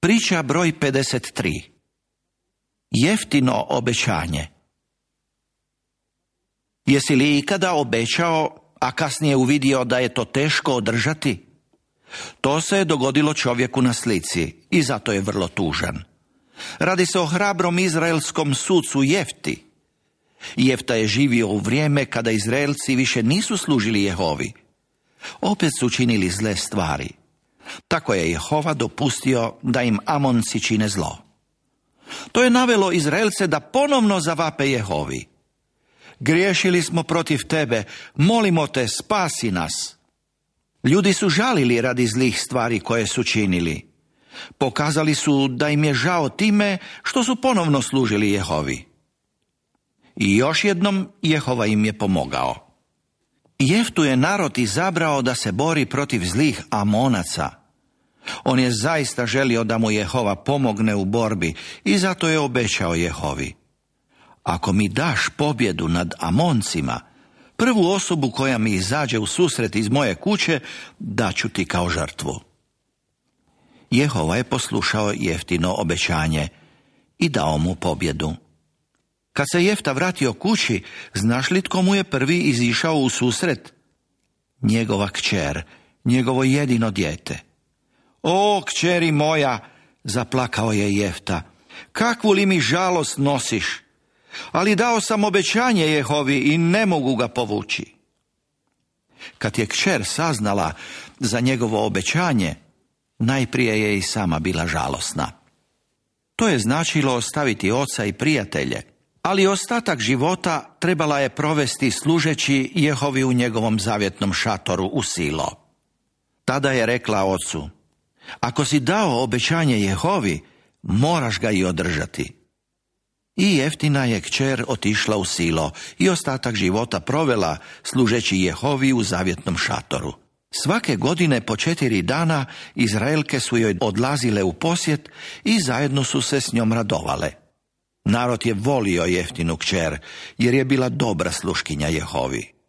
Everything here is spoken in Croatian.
Priča broj 53. Jeftino obećanje. Jesi li ikada obećao, a kasnije uvidio da je to teško održati? To se je dogodilo čovjeku na slici i zato je vrlo tužan. Radi se o hrabrom izraelskom sucu Jefti. Jefta je živio u vrijeme kada Izraelci više nisu služili Jehovi. Opet su činili zle stvari. Tako je Jehova dopustio da im Amonci čine zlo. To je navelo Izraelce da ponovno zavape Jehovi. Griješili smo protiv tebe, molimo te, spasi nas. Ljudi su žalili radi zlih stvari koje su činili. Pokazali su da im je žao time što su ponovno služili Jehovi. I još jednom Jehova im je pomogao. Jeftu je narod izabrao da se bori protiv zlih Amonaca. On je zaista želio da mu Jehova pomogne u borbi i zato je obećao Jehovi: ako mi daš pobjedu nad Amoncima, prvu osobu koja mi izađe u susret iz moje kuće, daću ti kao žrtvu. Jehova je poslušao Jeftino obećanje i dao mu pobjedu. Kad se Jefta vratio kući, znaš li tko mu je prvi izišao u susret? Njegova kćer, njegovo jedino dijete. O, kćeri moja, zaplakao je Jefta, kakvu li mi žalost nosiš? Ali dao sam obećanje Jehovi i ne mogu ga povući. Kad je kćer saznala za njegovo obećanje, najprije je i sama bila žalosna. To je značilo ostaviti oca i prijatelje, ali ostatak života trebala je provesti služeći Jehovi u njegovom zavjetnom šatoru u Silo. Tada je rekla ocu: ako si dao obećanje Jehovi, moraš ga i održati. I Jeftina je kćer otišla u Silo i ostatak života provela služeći Jehovi u zavjetnom šatoru. Svake godine po 4 dana Izraelke su joj odlazile u posjet i zajedno su se s njom radovale. Narod je volio Jeftinu kćer jer je bila dobra sluškinja Jehovi.